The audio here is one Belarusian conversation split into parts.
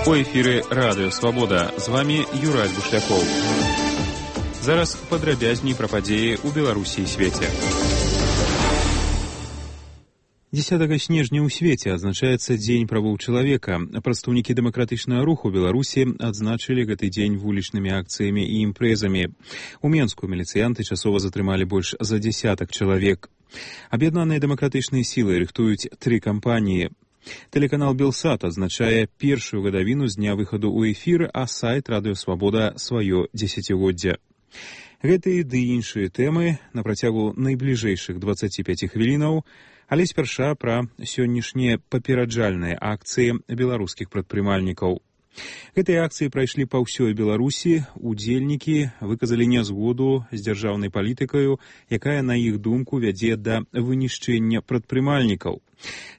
У эфіры Радыё Свабода. З вами Юрай Бушлякоў. Зараз падрабязней пра падзеі ў Беларусі і свеце. 10 снежня ў свеце адзначаецца Дзень правоў чалавека. Прадстаўнікі дэмакратычнага руху Беларусі адзначылі гэты дзень вулічнымі акцыямі і імпрэзамі. У Менску міліцыянты часова затрымалі больш за 10 чалавек. Аб'яднаныя дэмакратычныя сілы рыхтуюць 3 кампаніі. Тэлеканал Белсат адзначае першую гадавіну з дня выхаду ў эфір, а сайт Радыё Свабода сваё дзесяцігоддзе. Гэтыя ды іншыя тэмы на працягу найбліжэйшых 25 хвілінаў, але спярша пра сённяшнія папераджальныя акцыі беларускіх прадпрымальнікаў. Гэтыя акцыі прайшлі па ўсёй Беларусі, удзельнікі выказалі нязгоду з дзяржаўнай палітыкаю, якая, на іх думку, вядзе да вынішчэння прадпрымальнікаў.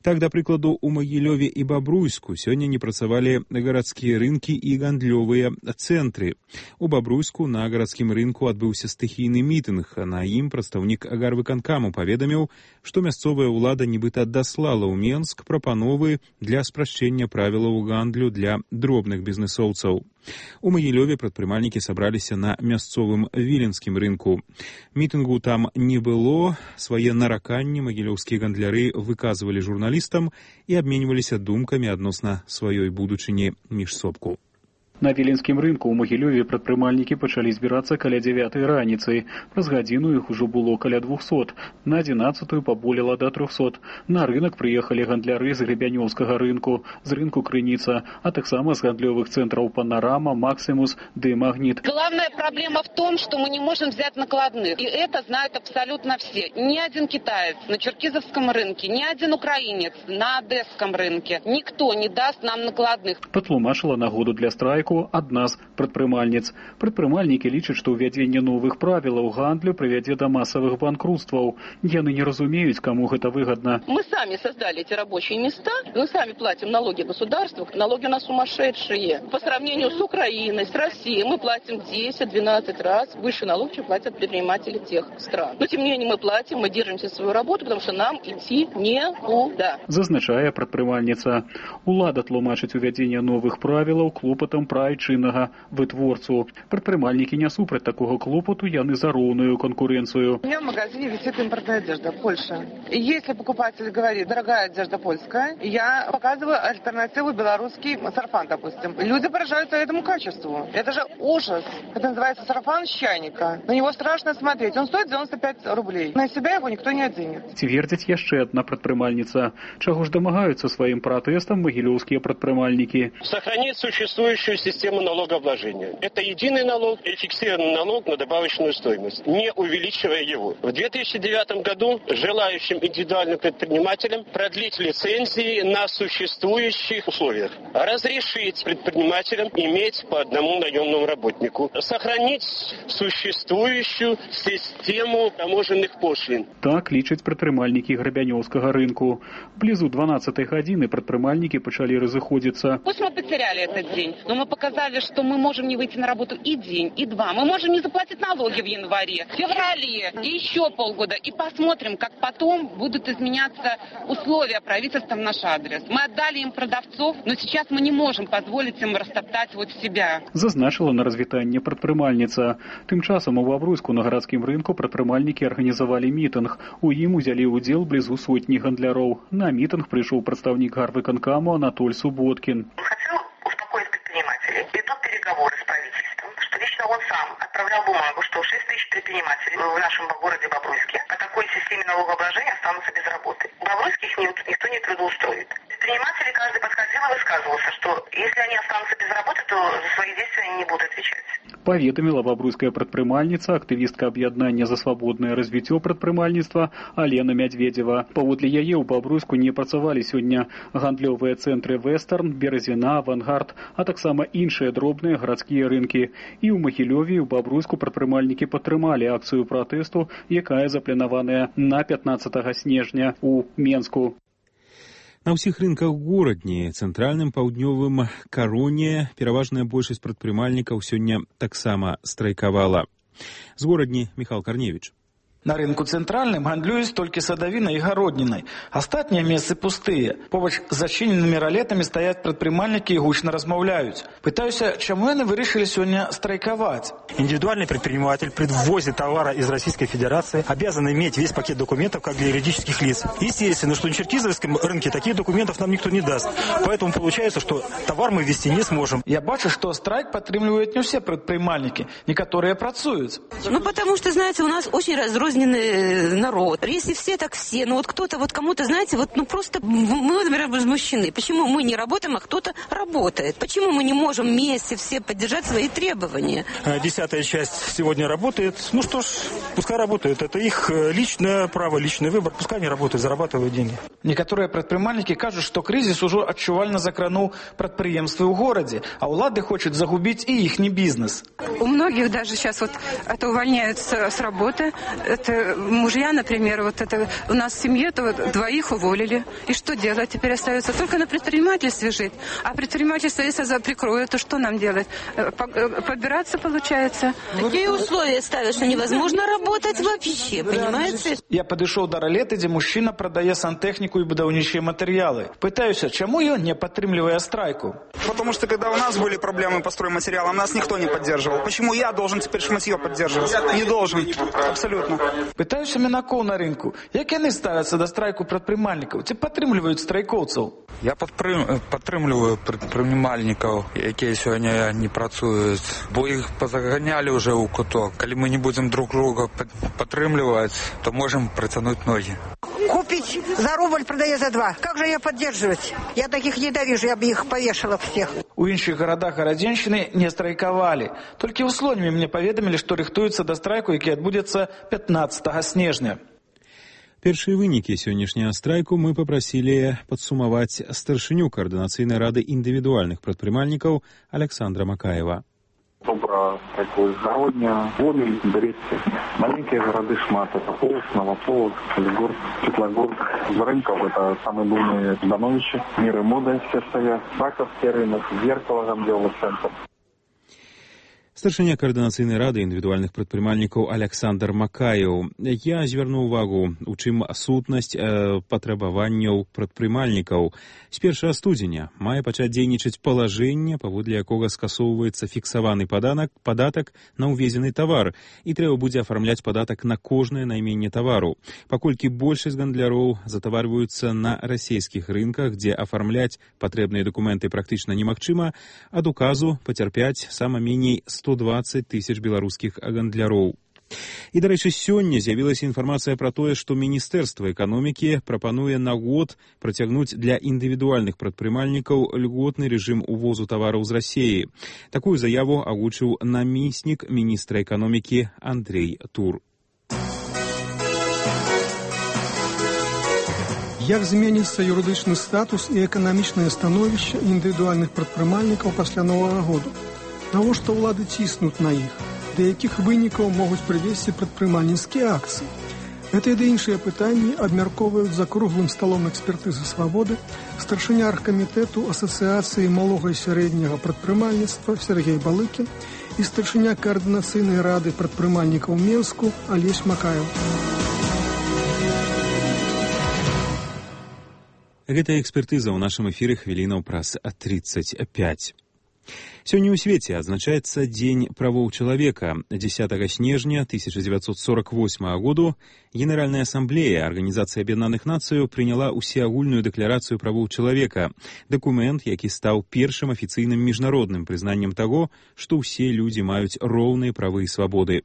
Так, да прыкладу, у Магілёве і Бабруйску сёння не працавалі гарадскія рынкі і гандлёвыя цэнтры. У Бабруйску на гарадскім рынку адбыўся стыхійны мітынг, а на ім прадстаўнік гарвыканкаму паведаміў, што мясцовая ўлада нібыта даслала ў Менск прапановы для спрашчэння правілаў гандлю для дробных бізнэсоўцаў. У Магілёве прадпрымальнікі сабраліся на мясцовым віленскім рынку. Мітынгу там не было, свае нараканні магілёўскія гандляры выказвалі журналістам і абменьваліся думкамі адносна сваёй будучыні міжсобку. На віленскім рынку ў Магілёве прадпрымальнікі пачалі збірацца каля 9 раніцы. Праз гадзіну іх ужо было каля 200. На 11 паболела да 300. На рынок прыехалі гандляры з Гребянёўскага рынку, з рынку Крыніца, а таксама з гандлёвых цэнтраў Панорама, Максимус ды Магнит. Главная проблема в том, что мы не можем взять накладных. И это знают абсолютно все. Ни один китаец на Черкизовском рынке, ни один украинец на Одесском рынке. Никто не даст нам накладных. Патлумачыла нагоду для страйку адна з прадпрымальніц. Прадпрымальнікі лічаць, што ўвядзенне новых правілаў гандлю прывядзе да масавых банкрутстваў. Яны не разумеюць, каму гэта выгодна. Мы сами создали эти рабочие места, мы сами платим налоги государству, налоги у нас сумасшедшие. По сравнению с Украиной, с Россией, мы платим 10-12 раз выше налог, чем платят предприниматели тех стран. Но тем не менее мы платим, мы держимся свою работу, потому что нам идти некуда. Зазначае прадпрымальніца. Улада тлумачыць увядзенне новых правілаў клопатам айчыннага вытворцу. Прадпрымальнікі не супраць такого клопоту, яны за роўную конкуренцию. У меня в магазине висит импортная одежда, Польша. Если покупатель говорит, дорогая одежда польская, я показываю альтернативу белорусский сарафан, допустим. Люди поражаются этому качеству. Это же ужас. Это называется сарафан с чайника. На него страшно смотреть. Он стоит 95 рублей. На себя его никто не оденет. Цвердзіць яшчэ адна прадпрымальніца. Чаго ж дамагаюцца сваім пратэстам магілёўскія прадпрымальнікі? Сохранить существующую систему налогообложения. Это единый налог и фиксированный налог на добавочную стоимость, не увеличивая его. В 2009 году желающим индивидуальным предпринимателям продлить лицензии на существующих условиях, разрешить предпринимателям иметь по одному наемному работнику, сохранить существующую систему таможенных пошлин. Так лічаць прадпрымальнікі Гребянёўскага рынку. Близу 12 гадзіны прадпрымальнікі пачалі разыходзіцца. Пусть мы потеряли этот день, но мы показали, что мы можем не выйти на работу и день, и два. Мы можем не заплатить налоги в январе, в феврале и еще полгода. И посмотрим, как потом будут изменяться условия правительства в наш адрес. Мы отдали им продавцов, но сейчас мы не можем позволить им растоптать вот себя. Зазначила на развітанне прадпрымальніца. Тым часам у Бабруйску на гарадскім рынку прадпрымальнікі арганізавалі мітынг. У ім узялі ўдзел блізу сотні гандляроў. На мітынг прыйшоў прадстаўнік гарвыканкаму Анатоль Субботкин. Идут переговоры с правительством, что лично он сам отправлял бумагу, что 6 тысяч предпринимателей в нашем городе Бобруйске по такой системе налогообложения останутся без работы. Бобруйских никто не трудоустроит. Предприниматели каждый подходил и высказывался, что если они останутся без работы, то за свои действия они не будут отвечать. Паведаміла бабруйская прадпрымальніца, актывістка аб'яднання за свабоднае развіццё прадпрымальніцтва Алена Мядведзева. Паводле яе ў Бабруйску не працавалі сёння гандлёвыя цэнтры Вестерн, Березіна, Авангард, а таксама іншыя дробныя гарадскія рынкі. І ў Магілёве і ў Бабруйску прадпрымальнікі падтрымалі акцыю пратэсту, якая запланаваная на 15 снежня ў Менску. На ўсіх рынках горадні, цэнтральным, паўднёвым, Кароне, пераважная большасць прадпрымальнікаў сёння таксама страйкавала. З горадні Міхал Карневіч. На рынку цэнтральным гандлююць толькі садавінай і гароднінай. Астатнія месцы пустыя. Побач з зачыненымі ралетамі стаяць прадпрымальнікі і гучна размаўляюць. Пытаюся, чаму яны вырашылі сёння страйкаваць. Индивидуальный предприниматель при ввозе товара из Российской Федерации обязан иметь весь пакет документов, как для юридических лиц. Естественно, что на черкизовском рынке таких документов нам никто не даст. Поэтому получается, что товар мы ввести не сможем. Я бачу, что страйк падтрымліваюць не все предпринимальники. Некоторые працуюць. Потому что, знаете, у нас очень разрозненный народ. Если все, так все. Но вот кто-то, вот кому-то, знаете, просто мы, например, возмущены. Почему мы не работаем, а кто-то работает? Почему мы не можем вместе все поддержать свои требования? 10-я часть сегодня работает. Ну что ж, пускай работают. Это их личное право, личный выбор. Пускай они работают, зарабатывают деньги. Некоторые предпринимальники кажут, что кризис уже отчувально закранул предприемства в городе, а улады хочет загубить и их бизнес. У многих даже сейчас это увольняются с работы. Это мужья, например, у нас в семье двоих уволили. И что делать? Теперь остается только на предпринимательстве жить. А предпринимательство, если прикроют, то что нам делать? Побираться получается. Какие условия ставят, что невозможно работать вообще, понимаете? Я подошел до ролеты, где мужчина продает сантехнику и будаўнічыя материалы. Пытаюсь, чему ее не подтримливая страйку? Потому что когда у нас были проблемы по стройматериалам, нас никто не поддерживал. Почему я должен теперь шматье поддерживать? Не должен. Абсолютно. Пытаюся мінакоў на рынку. Як яны ставяцца да страйку прадпрымальнікаў? Ці падтрымліваюць страйкоўцаў? Я падтрымліваю прадпрымальнікаў, якія сёння не працуюць, бо іх пазаганялі ўжо ў куток. Калі мы не будзем друг друга падтрымліваць, то можем протянуть ноги. Купить за рубль, продая за 2. Как же ее поддерживать? Я таких ненавижу, я бы их повешала всех. У іншых гарадах гарадзеншчыны не страйкавалі. Толькі ў Слонімі мне паведамілі, што рыхтуецца да страйку, які адбудзецца 15 снежня. Першыя вынікі сённяшняга страйку мы папрасілі падсумаваць старшыню Координацыйнай рады індывідуальных прадпрымальнікаў Александра Макаева. Добра такой гародня, Гомель, Брестце. Маленькие города шмат. Это Полоцк, Новополоцк, Солигорск, Светлогорск. З рынков это самые буйные Ждановичи. Мир и мода все стоят. Раковский рынок, Зеркало, Гамделов центр. Старшыня Координацыйнай рады індывідуальных прадпрымальнікаў Александр Макаеў. Я звярну ўвагу, у чым сутнасць патрабаванняў прадпрымальнікаў. З 1 студзеня мае пачаць дзейнічаць палажэнне, паводле якога скасоўваецца фіксаваны падатак на ўвезены тавар, і трэба будзе афармляць падатак на кожнае найменне тавару. Паколькі большасць гандляроў затаварваюцца на расійскіх рынках, дзе афармляць патрэбныя дакументы практычна немагчыма, ад указу пацярпяць сама меней 120 тысяч беларускіх гандляроў. І, дарэчы, сёння з'явілася інфармацыя пра тое, што Міністэрства эканомікі прапануе на год працягнуць для індывідуальных прадпрымальнікаў льготны рэжым увозу тавараў з Расіі. Такую заяву агучыў намеснік міністра эканомікі Андрей Тур. Як зменіцца юрыдычны статус і эканамічнае становішча індывідуальных прадпрымальнікаў пасля Новага году? Навошта ўлады ціснуць на іх? Да якіх вынікаў могуць прывесці прадпрымальніцкія акцыі? Гэта і да іншыя пытанні абмяркоўваюць за круглым сталом экспертызы свабоды старшыня аргкамітэту Асацыяцыі малога і сярэдняга прадпрымальніцтва Сергей Балыкін і старшыня Координацыйнай рады прадпрымальнікаў Менску Алесь Макаеў. Гэта экспертыза ў нашым эфіры хвілінаў праз 35. Сёння ў свеце адзначаецца Дзень правоў чалавека. 10 снежня 1948 году Генеральная Ассамблея Арганізацыі Аб'яднаных Нацыяў прыняла ўсеагульную дэкларацыю правоў чалавека, дакумент, які стаў першым афіцыйным міжнародным прызнаннем таго, што ўсе людзі маюць роўныя правы і свабоды.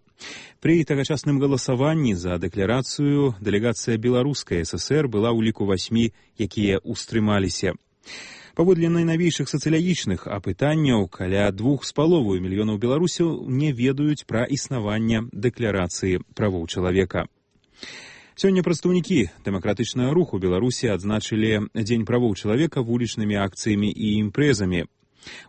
Пры тагачасным галасаванні за дэкларацыю дэлегацыя Беларускай ССР была ў ліку 8, якія ўстрымаліся. Паводле найнавейшых сацыялагічных апытанняў, каля 2,5 мільёнаў беларусаў не ведаюць пра існаванне дэкларацыі правоў чалавека. Сёння прадстаўнікі дэмакратычнага руху Беларусі адзначылі Дзень правоў чалавека вулічнымі акцыямі і імпрэзамі.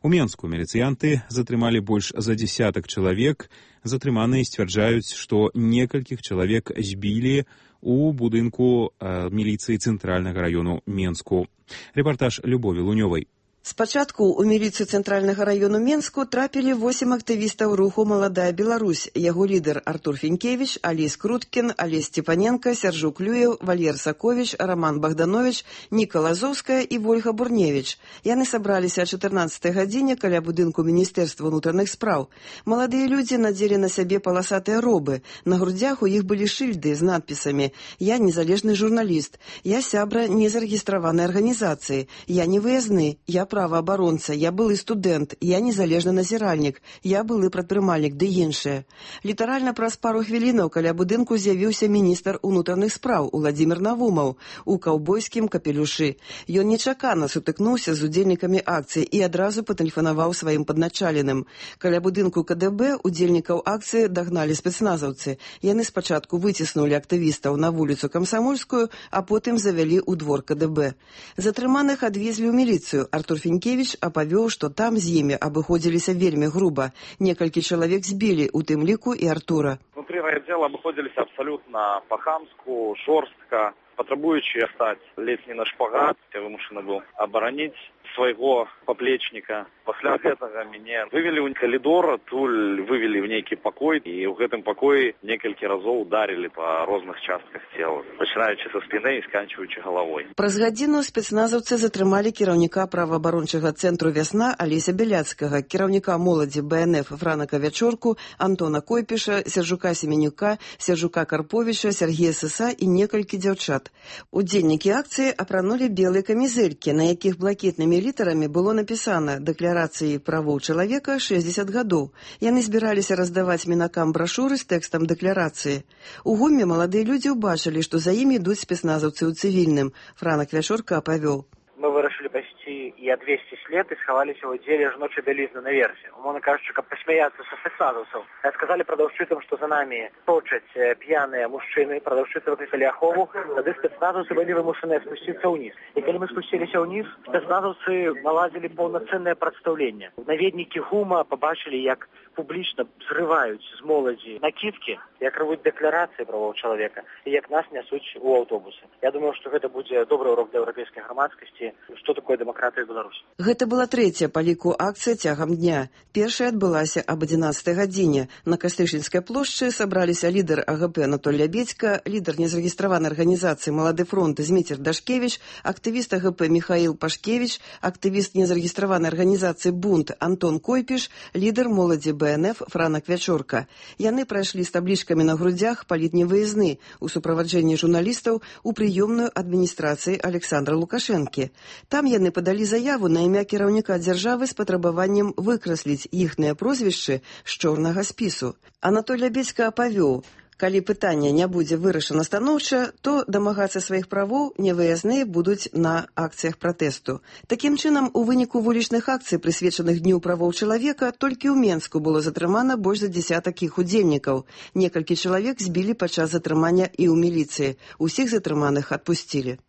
У Менску міліцыянты затрымалі больш за 10 чалавек. Затрыманыя сцвярджаюць, што некалькіх чалавек збілі у будынку міліцыі цэнтральнага раёну Менску. Рэпартаж Любові Лунёвай. Спачатку ў міліцыю цэнтральнага раёну Менску трапілі 8 актывістаў руху «Маладая Беларусь». Яго лідар Артур Фінкевіч, Алесь Круткін, Алесь Степаненко, Сяржук Клюев, Валер Саковіч, Роман Богданович, Ніка Лазовская і Вольга Бурневіч. Яны сабраліся о 14 гадзіне каля будынку Міністэрства ўнутраных спраў. Маладыя людзі надзелі на сябе паласатыя робы. На грудзях у іх былі шыльды з надпісамі «Я незалежны журналіст», «Я сябра незарэгістраванай арганізацыі», «Я не выязны», «Я праваабаронца», «Я былы студэнт», «Я незалежны назіральнік», «Я былы прадпрымальнік» ды іншыя. Літаральна праз пару хвілінаў каля будынку з'явіўся міністр унутраных спраў Уладзімір Навумаў у каўбойскім капелюшы. Ён нечакана сутыкнуўся з удзельнікамі акцыі і адразу патэлефанаваў сваім падначаленым. Каля будынку КДБ удзельнікаў акцыі дагналі спецназаўцы. Яны спачатку выціснулі актывістаў на вуліцу Камсамольскую, а потым завялі ў двор КДБ. Затрыманых адвезлі ў міліцыю. Артур Фінкевіч апавёў, што там з імі абыходзіліся вельмі груба. Некалькі чалавек збілі, у тым ліку і Артура. Внутри райотдела абыходзіліся абсолютно по-хамску, жорстка, патрабуючи стаць ледзь не на шпагат. Я вымушаны быў абараніць свайго паплечніка. Пасля гэтага мяне вывели ў калідор, адтуль вывели ў нейкі пакой, і ў гэтым пакоі некалькі разоў ударили па розных частках цела, пачынаючы са спіны і сканчваючы галавой. Праз гадзіну спецназаўцы затрымалі кіраўніка праваабарончага цэнтру «Вясна» Алеся Бяляцкага, кіраўніка моладзі БНФ Франака Вячорку, Антона Койпіша, Сяржука Семенюка, Сяржука Карповіча, Сергея Сыса і некалькі дзяўчат. Удзельнікі акцыі апранулі белыя камізэлькі, на якіх блакітнымі літарамі было напісана «Дэкларацыі правоў чалавека 60 гадоў». Яны збіраліся раздаваць мінакам брашуры з тэкстам дэкларацыі. У гуме маладыя людзі ўбачылі, што за імі ідуць спецназаўцы ў цывільным. Франак Вячорка апавёў. Мы вырашылі пайсці і адвесці след і схаваліся ў аддзеле жночай бялізны наверсе. Умоўна кажучы, каб пасмяяцца са спецназаўцаў. Сказалі прадаўшчыцам, што за намі точаць п'яныя мужчыны, прадаўшчыцы выклікалі ахову, тады спецназаўцы былі вымушаныя спусціцца ўніз. І калі мы спусціліся ўніз, спецназаўцы наладзілі паўнацэннае прадстаўленне. Наведнікі ГУМа пабачылі, як публічна зрываюць з моладзі накідкі, як рвуць дэкларацыі правоў чалавека і як нас нясуць у аўтобусы. Я думаю, што гэта будзе добры урок для еўрапейскай грамадскасці, што такое дэмакратыя ў Беларусі. Гэта была трэцяя па ліку акцыя цягам дня. Першая адбылася аб 11 гадзіне. На Кастышынскай плошчы сабраліся лідар АГП Анатоль Лябедзька, лідар незарэгістраванай арганізацыі «Малады фронт» Зміцер Дашкевіч, актывіст АГП Михаил Пашкевіч, актывіст незарэгістраванай арганізацыі «Бунт» Антон Койпіш, лідар моладзі БНФ Франак Вячорка. Яны прайшлі з таблічкамі на грудзях «Паліт не выязны» у суправаджэнні журналістаў у прыёмную адміністрацыі Александра Лукашэнкі. Там яны падалі заяву на імя кіраўніка дзяржавы з патрабаваннем выкрасліць іхныя прозвішчы з чорнага спісу. Анатоль Лябедзька апавёў, калі пытанне не будзе вырашана станоўча, то дамагацца сваіх правоў невыязныя будуць на акцыях пратэсту. Такім чынам, у выніку вулічных акцый, прысвечаных Дню правоў чалавека, толькі ў Менску было затрымана больш за дзесятак іх удзельнікаў. Некалькі чалавек збілі падчас затрымання і ў міліцыі. Усіх затрыманых адпусцілі.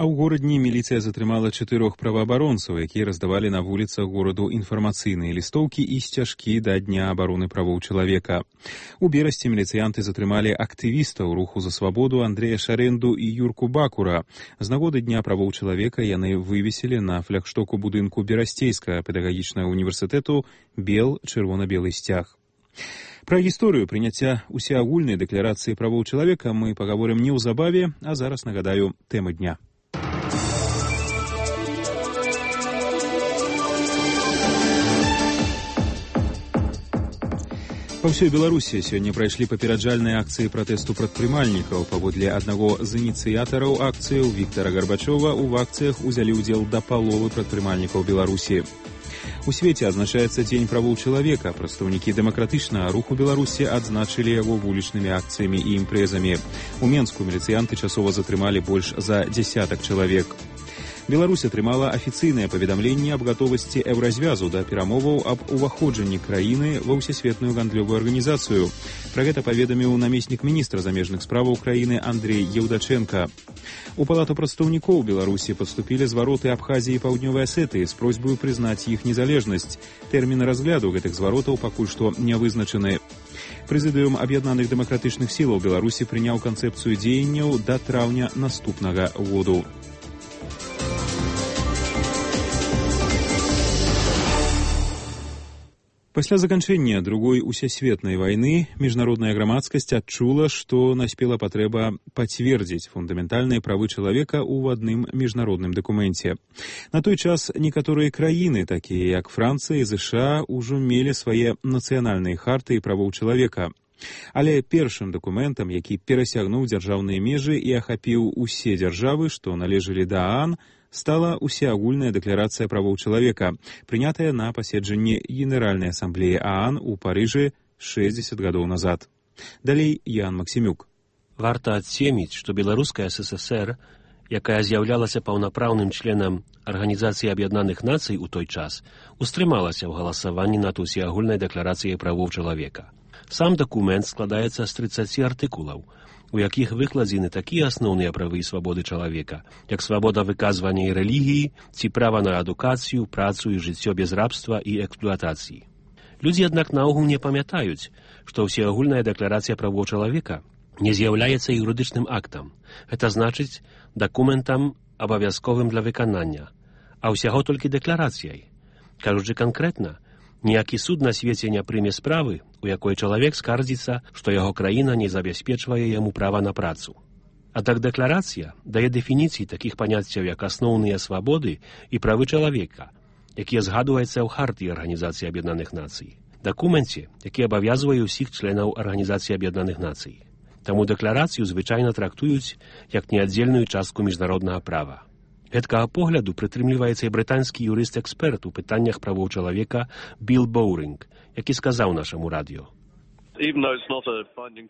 А ў горадні міліцыя затрымала 4 праваабаронцаў, якія раздавалі на вуліцах гораду інфармацыйныя лістоўкі і сцяжкі да Дня абароны правоў чалавека. У берасці міліцыянты затрымалі актывістаў руху за свабоду Андрэя Шарэнду і Юрку Бакура. З нагоды Дня правоў чалавека яны вывесілі на флагштоку будынку Берасцейскага педагагічнага універсітэту бел чырвона-белы сцяг. Пра гісторыю прыняцця усеагульнай дэкларацыі правоў чалавека мы пагаворым неўзабаве, а зараз нагадаю тэмы дня. Па ўсёй Беларусі сёння прайшлі папераджальныя акцыі пратэсту прадпрымальнікаў. Паводле аднаго з ініцыятараў акцыяў Віктара Гарбачова ў акцыях узялі ўдзел да паловы прадпрымальнікаў Беларусі. У свеце адзначаецца Дзень правоў чалавека. Прадстаўнікі дэмакратычнага руху Беларусі адзначылі яго вулічнымі акцыямі і імпрэзамі. У Менску міліцыянты часова затрымалі больш за дзясятак чалавек. Беларусь атрымала афіцыйнае паведамленне аб гатовасці еўразвязу да перамоваў аб уваходжанні краіны ва ўсесветную гандлёвую арганізацыю. Пра гэта паведаміў намеснік міністра замежных справаў краіны Андрей Еўдаченка. У палату прадстаўнікоў Беларусі паступілі звароты Абхазіі і Паўднёвай Асетыі з просьбаю прызнаць іх незалежнасць. Тэрміны разгляду гэтых зваротаў пакуль што не вызначаны. Прэзідыум аб'яднаных дэмакратычных сілаў Беларусі прыняў канцэпцыю дзеянняў да траўня наступнага году. Пасля заканчэння другой усесветнай вайны міжнародная грамадскасць адчула, што наспела патрэба пацвердзіць фундаментальныя правы чалавека ў адным міжнародным дакуменце. На той час некаторыя краіны, такія як Францыя і ЗША, ужо мелі свае нацыянальныя харты і правоў чалавека. Але першым дакументам, які перасягнуў дзяржаўныя межы і ахапіў усе дзяржавы, што належалі да ААН, стала усеагульная дэкларацыя правоў чалавека, прынятая на паседжанні Генеральнай асамблеі ААН у Парыжы 60 гадоў назад. Далей Ян Максімюк. Варта адсеміць, што Беларуская ССР, якая з'яўлялася паўнапраўным членам Арганізацыі Аб'яднаных Нацый у той час, устрымалася ў галасаванні над усеагульнай дэкларацыяй правоў чалавека. Сам дакумент складаецца з 30 артыкулаў, у якіх выкладзены такія асноўныя правы і свабоды чалавека, як свабода выказвання і рэлігіі, ці права на адукацыю, працу і жыццё без рабства і эксплуатацыі. Людзі, аднак, наогул не памятаюць, што ўсеагульная дэкларацыя правоў чалавека не з'яўляецца юрыдычным актам. Гэта значыць дакументам абавязковым для выканання, а ўсяго толькі дэкларацыяй. Кажучы канкрэтна, ніякі суд на свеце не прыме справы, у якой чалавек скардзіцца, што яго краіна не забяспечвае яму права на працу. Аднак дэкларацыя дае дэфініцыі такіх паняццяў, як асноўныя свабоды і правы чалавека, якія згадваюцца ў хартыі Арганізацыі Аб'яднаных Нацый, дакуменце, які абавязвае ўсіх членаў Арганізацыі Аб'яднаных Нацый. Таму дэкларацыю звычайна трактуюць як неаддзельную частку міжнароднага права. Гэткага погляду прытрымліваецца і брытанскі юрыст-эксперт у пытаннях правоў чалавека Билл Боуринг, які сказаў нашаму радыё.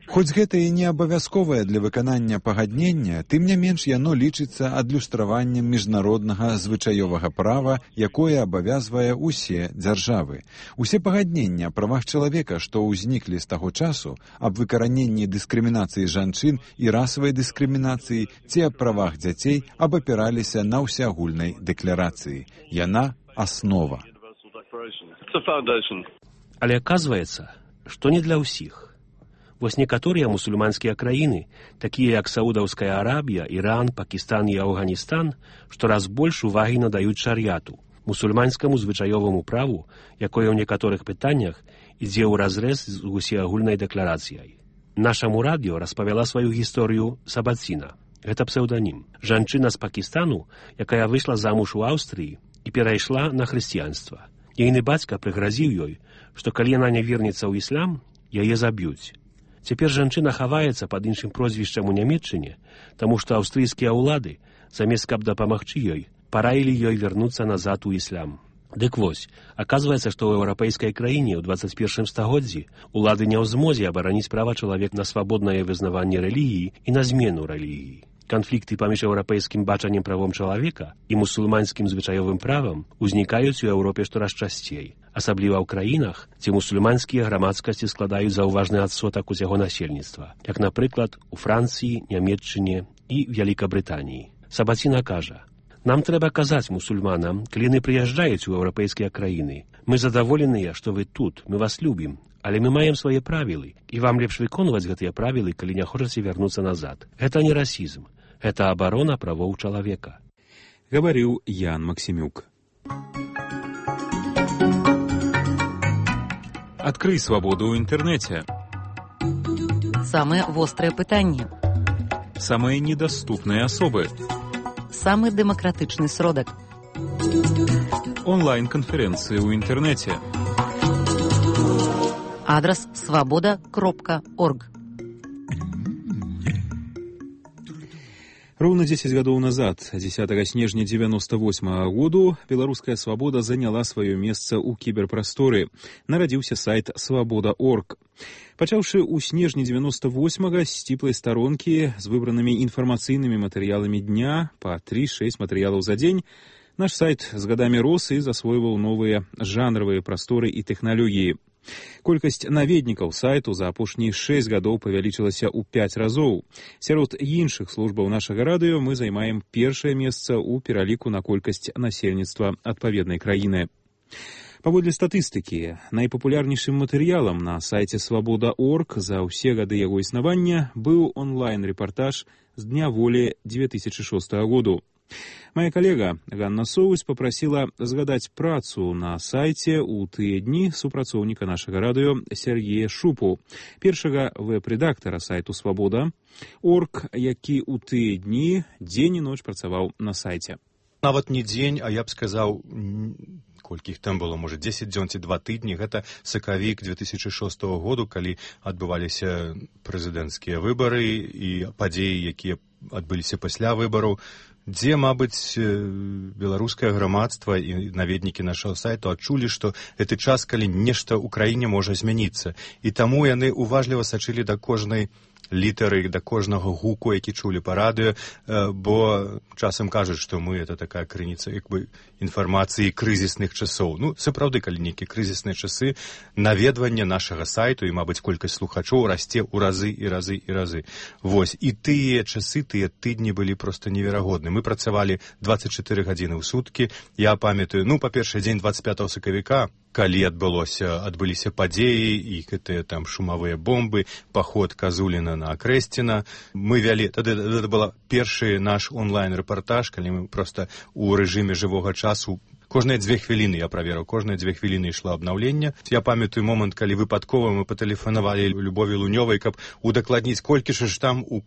Хоць гэта і не абавязковае для выканання пагаднення, тым не менш яно лічыцца адлюстраваннем міжнароднага звычаёвага права, якое абавязвае усе дзяржавы. Усе пагаднення аб правах чалавека, што ўзніклі з таго часу, аб выкараненні дыскрымінацыі жанчын і расавай дыскрымінацыі ці аб правах дзяцей абапіраліся на ўсеагульнай дэкларацыі. Яна аснова. Але аказваецца, што не для ўсіх. Вось некаторыя мусульманскія краіны, такія як Саудаўская Арабія, Іран, Пакістан і Афганістан, штораз больш увагі надаюць шар'яту, мусульманскаму звычаёваму праву, якое ў некаторых пытаннях ідзе ўразрэз з усеагульнай дэкларацыяй. Нашаму радыё распавяла сваю гісторыю Сабаціна. Гэта псеўданім. Жанчына з Пакістану, якая выйшла замуж у Аўстрыі і перайшла на хрысціянства. Ейны бацька прыгразіў ёй, што калі яна не вернецца ў іслам, яе заб'юць. Цяпер жанчына хаваецца пад іншым прозвішчам у Нямецчыне, таму што аўстрыйскія ўлады, замест каб дапамагчы ёй, параілі ёй вярнуцца назад у іслам. Дык вось, аказваецца, што ў еўрапейскай краіне ў 21 стагоддзі улады не ў змозе абараніць права чалавека на свабоднае вызнаванне рэлігіі і на змену рэлігіі. Канфлікты паміж еўрапейскім бачаннем правом чалавека і мусульманскім звычаёвым правам узнікаюць у Еўропе штораз часцей, асабліва ў краінах, дзе мусульманскія грамадскасці складаюць заўважны адсотак усяго насельніцтва, як, напрыклад, у Францыі, Нямецчыне і Вялікабрытаніі. Сабаціна кажа: «Нам трэба казаць мусульманам, калі яны прыязджаюць у еўрапейскія краіны. Мы задаволеныя, што вы тут, мы вас любім, але мы маем свае правілы, і вам лепш выконваць гэтыя правілы, калі не хочаце вярнуцца назад. Гэта не расізм, гэта абарона правоў чалавека». Гаварыў Ян Максімюк. Адкрый свабоду ў інтэрнэце. Самыя вострыя пытанні. Самыя недаступныя асобы. Самы дэмакратычны сродак. Онлайн-канферэнцыі ў інтэрнэце. Адрас свабода.орг. Роўна 10 гадоў назад, 10 снежня 98 году, беларуская свабода заняла сваё месца ў кіберпрасторы. Нарадзіўся сайт свабода.орг. Пачаўшы ў снежні 98-га з сціплай старонкі з выбранымі інфармацыйнымі матэрыяламі дня па 3-6 матэрыялаў за дзень, наш сайт з гадамі рос і засвойваў новыя жанравыя прасторы і тэхналогіі. Колькасць наведнікаў сайту за апошнія 6 гадоў павялічылася ў 5 разоў. Сярод іншых службаў нашага радыё мы займаем першае месца ў пераліку на колькасць насельніцтва адпаведнай краіны. Паводле статыстыкі, найпапулярнейшым матэрыялам на сайце свабода.орг за ўсе гады яго існавання быў онлайн-рэпартаж з Дня волі 2006 году. Моя коллега Ганна Соус попросила згадать працу на сайце у тыя дні супрацоўніка нашага радыё Сергея Шупу, першага веб-рэдактара сайту «Свабода.орг», які у тыя дні дзень і ноч працаваў на сайце. Нават не дзень, а я б сказаў, колькі іх там было, можа, 10 дзён ці 2 тыдні. Гэта сакавік 2006 году, калі адбываліся прэзідэнцкія выбары і падзеі, якія адбыліся пасля выбараў, дзе, мабыць, беларускае грамадства і наведнікі нашага сайту адчулі, што гэты час, калі нешта ў краіне можа змяніцца. І таму яны уважліва сачылі да кожнай літары, да кожнага гуку, які чулі па радыё, бо часам кажуць, што мы это такая крыніца як бы інфармацыі крызісных часоў. Ну, сапраўды, калі нейкія крызісныя часы, наведванне нашага сайту і, мабыць, колькасць слухачоў расце ў разы і разы і разы. Вось, і тыя часы, тыя тыдні былі проста неверагодны. Мы працавалі 24 гадзіны ў суткі. Я памятаю, ну, па-першае, дзень 25 сакавіка, калі адбыліся падзеі і гэтыя там шумавыя бомбы, паход Казуліна на Акрэсціна. Мы вялі, тады это был першы наш онлайн-рэпартаж, калі мы проста у рэжыме жывога часу кожныя 2 хвіліны я праверыў, кожныя 2 хвіліны ішло абнаўленне. Я памятаю момант, калі выпадкова мы патэлефанавалі Любові Лунёвай, каб удакладніць, колькі ж там у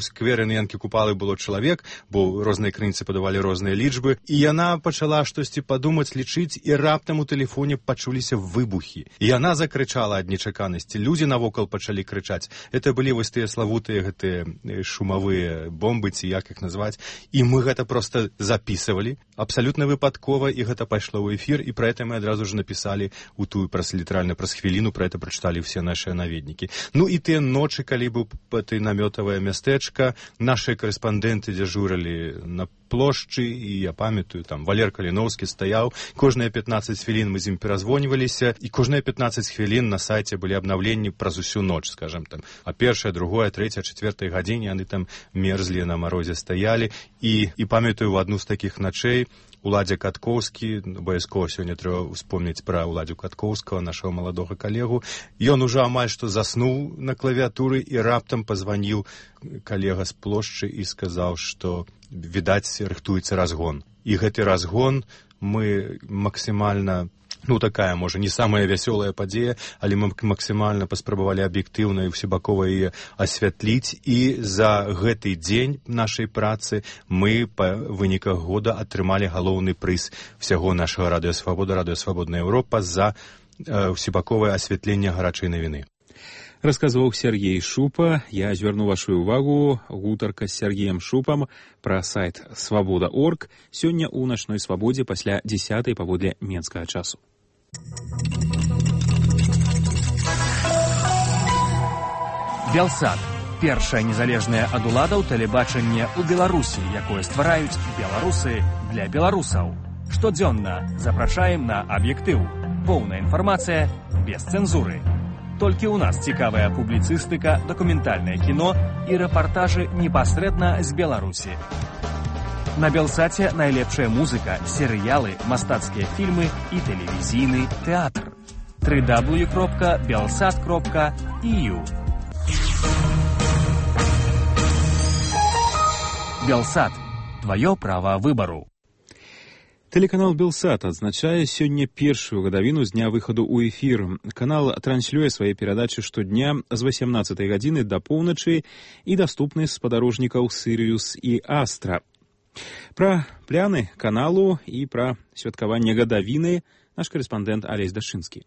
скверы на Янкі Купалы было чалавек, бо розныя крыніцы падавалі розныя лічбы. І яна пачала штосьці падумаць, лічыць, і раптам у тэлефоне пачуліся выбухі. І яна закрычала ад нечаканасці. Людзі навокал пачалі крычаць. Это былі вось тыя славутыя гэтыя шумавыя бомбы, ці як іх назваць. І мы гэта проста запісывалі, абсалютна выпадкова, і гэта пайшло ў эфір, і пра гэта мы адразу ж напісалі у тую літаральна праз хвіліну, пра гэта прачыталі ўсе нашыя наведнікі. Ну і тыя ночы, калі быў ты намётавае мястэчка, нашыя карэспандэнты дзяжурылі на плошчы, і я памятаю, там Валер Каліноўскі стаяў, кожныя 15 хвілін мы з ім перазвоньваліся, і кожныя 15 хвілін на сайце былі абнаўленні праз усю ноч, скажем там, а першая, другая, трэця, чацвёртая гадзіне яны там мерзлі на марозе стаялі, і памятаю, в адну з такіх начэй Уладзя Каткоўскі, абавязкова сёння трэба успомніць пра Уладзю Каткоўскага, нашага маладога калегу. Ён ужо амаль што заснуў на клавіатуры і раптам пазваніў калега з плошчы і сказаў, што, відаць, рыхтуецца разгон. І гэты разгон мы максімальна, ну, такая, можа, не самая вясёлая падзея, але мы максімальна паспрабавалі аб'ектыўна і ўсебакова яе асвятліць, і за гэты дзень нашай працы мы па выніках года атрымалі галоўны прыз всяго нашага радыё Свабода, радыё Свабодная Еўропа за ўсебаковае асвятленне гарачай навіны. Расказваў Сергей Шупа. Я звярну вашу увагу. Гутарка з Сергеем Шупам пра сайт «Свабода.орг» сёння ў начной свабодзе пасля 10-й паводле менскага часу. Белсат. Першае незалежнае ад уладаў тэлебачанне ў Беларусі, якое ствараюць беларусы для беларусаў. Штодзённа запрашаем на аб'ектыў. Поўная інфармацыя без цэнзуры. Толькі ў нас цікавая публіцыстыка, дакументальнае кіно і рэпартажы непасрэдна з Беларусі. На Белсаце найлепшая музыка, серыялы, мастацкія фільмы і тэлевізійны тэатр. www.belsat.eu Белсат. Твоё права выбару. Телеканал «Белсат» адзначае сёння першую гадавіну з дня выхаду ў эфір. Канал транслюе свае перадачы штодня з 18 гадзіны да поўначы і даступны з спадарожнікаў «Сірыус» і «Астра». Пра пляны каналу і пра святкаванне гадавіны наш карэспандэнт Алесь Дашынскі.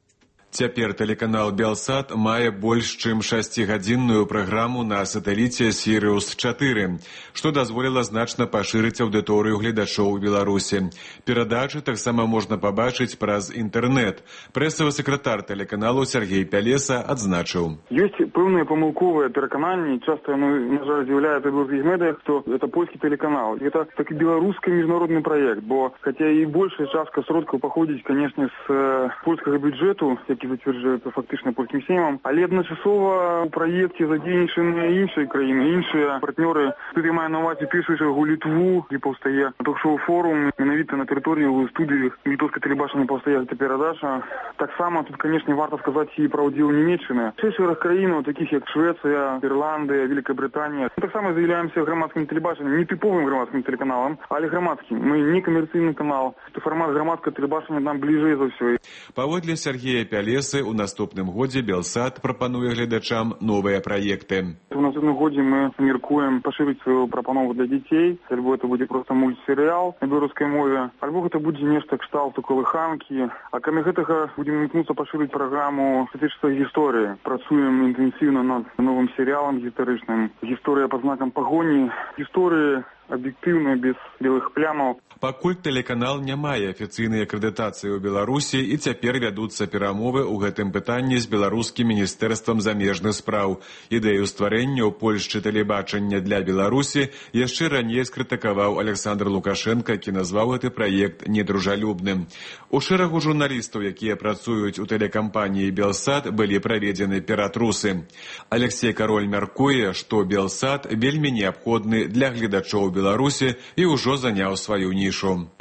Цяпер тэлеканал «Белсат» мае больш чым 6-гадзінную праграму на сатэліце «Сірыус-4», што дазволіла значна пашырыць аўдыторыю гледачоў у Беларусі. Перадачы таксама можна пабачыць праз інтэрнэт. Прэсавы сакратар тэлеканалу Сергей Пялеса адзначыў. Ёсць пэўныя памылковыя перакананні, часта яны, на жаль, з'яўляюцца ў беларускіх медыях, што гэта польскі тэлеканал. Гэта такі беларускі міжнародны праект, бо хаця і большая частка сродкаў паходзіць, канешне, з польскага бюджэту, які зацверджуюцца фактычна польскім сеймам. Але адначасова ў праекце задзейнічаныя іншыя краіны, іншыя партнёры. Тут я маю на ўвазе першую чаргу Літву, дзе паўстае ток-шоу форум, менавіта на тэрыторыі ў студыі літоўскай тэлебачання паўстае гэта перадача. Таксама тут, канешне, варта сказаць і пра ўдзел Нямецчыны. Шэраг краінаў, такіх як Швецыя, Ірландыя, Великая Британия. Таксама з'яўляемся грамадскім тэлебачаннем, не тыповым грамадскім тэлеканалам, але грамадскім. Мы не камерцыйны канал. Фармат грамадскага тэлебачання нам бліжэй за ўсё. Паводле Сергея Пялесы, у наступным годзе Белсат прапануе гледачам новыя праекты. У наступным годзе мы мяркуем пашырыць сваю прапанову для дзяцей. Альбо это будзе проста мультсерыял на беларускай мове, альбо гэта будзе нешта кшталту калыханкі. А кроме гэтага будзем імкнуцца пашырыць праграму статычнай гісторыі. Працуем інтэнсіўна над новым серыялам гістарычным. Гісторыя пад знакам пагоні. Гісторыі аб'ектыўна, без белых плямаў. Пакуль тэлеканал не мае афіцыйнай акрэдытацыі ў Беларусі, і цяпер вядуцца перамовы ў гэтым пытанні з беларускім міністэрствам замежных спраў. Ідэю стварэння ў Польшчы тэлебачання для Беларусі яшчэ раней скрытыкаваў Александр Лукашенко, які назваў гэты праект недружалюбным. У шэрагу журналістаў, якія працуюць у тэлекампаніі Белсат, былі праведзены ператрусы. Алексей Кароль мяркуе, што Белсат вельмі неабходны для гледачоў Беларусі і ўжо заняў сваю нішу.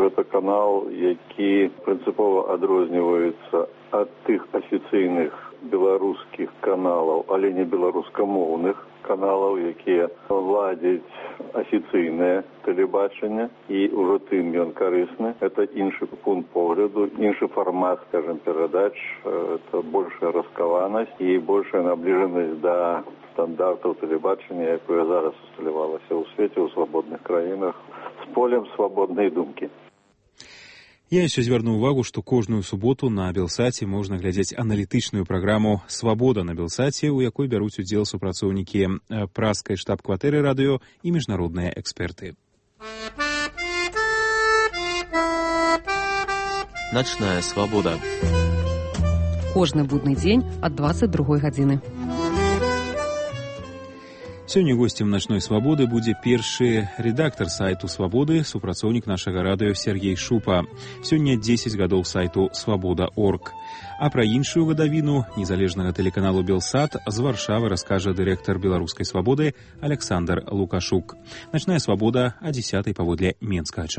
Гэта канал, які прынцыпова адрозніваецца ад тых афіцыйных беларускіх каналаў, але не беларускамоўных каналаў, якія ладзяць афіцыйнае тэлебачанне, і ўжо тым ён карысны. Это іншы пункт погляду, іншы фармат, скажем, перадач, это большая раскаванасць і большая набліжанасць да стандартаў тэлебачання, якое зараз усталявалася ў свеце, ў свабодных краінах, з полем свабоднай думкі. Я яшчэ звярну ўвагу, што кожную суботу на Белсаце можна глядзець аналітычную праграму «Свабода на Белсаце», у якой бяруць удзел супрацоўнікі праскай штаб-кватэры радыё і міжнародныя эксперты. Начная свабода. Кожны будны дзень ад 22 гадзіны. Сёння госцем «Начной свабоды» будзе першы рэдактар сайту «Свабоды», супрацоўнік нашага радыё Сергей Шупа. Сёння 10 гадоў сайту «Свабода.орг». А пра іншую гадавіну незалежнага тэлеканалу «Белсат» з Варшавы раскажа дырэктар «Беларускай свабоды» Александр Лукашук. «Начная свабода» о 10:00 паводле менскага часу.